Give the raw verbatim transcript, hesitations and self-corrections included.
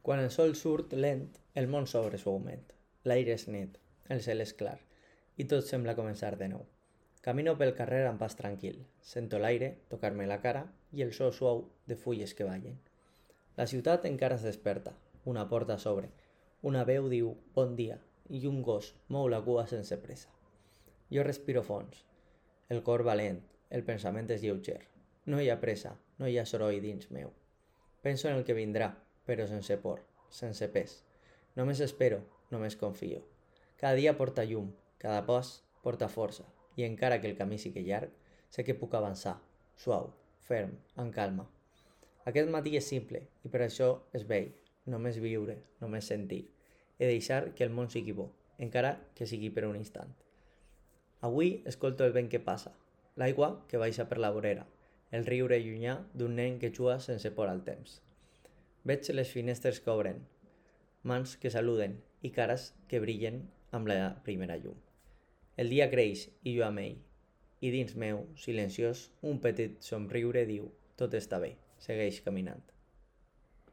Quan el sol surt lent, el món s'obre suaument. L'aire és net, el cel és clar, i tot sembla començar de nou. Camino pel carrer amb pas tranquil, sento l'aire tocar-me la cara i el so suau de fulles que ballen. La ciutat encara es desperta, una porta s'obre, una veu diu bon dia i un gos mou la cua sense pressa. Jo respiro fons, el cor valent, el pensament és lleuger. No hi ha pressa, no hi ha soroll dins meu. Penso en el que vindrà, però sense por, sense pes. Només espero, només confio. Cada dia porta llum, cada pas porta força, i encara que el camí sigui llarg, sé que puc avançar, suau, ferm, amb calma. Aquest matí és simple, i per això és vell, només viure, només sentir, i deixar que el món sigui bo, encara que sigui per un instant. Avui escolto el vent que passa, l'aigua que baixa per la vorera, el riure llunyà d'un nen que juga sense por al temps. Veig les finestres que obren, mans que saluden i cares que brillen amb la primera llum. El dia creix i jo amb ell, i dins meu, silenciós, un petit somriure diu: tot està bé, segueix caminant.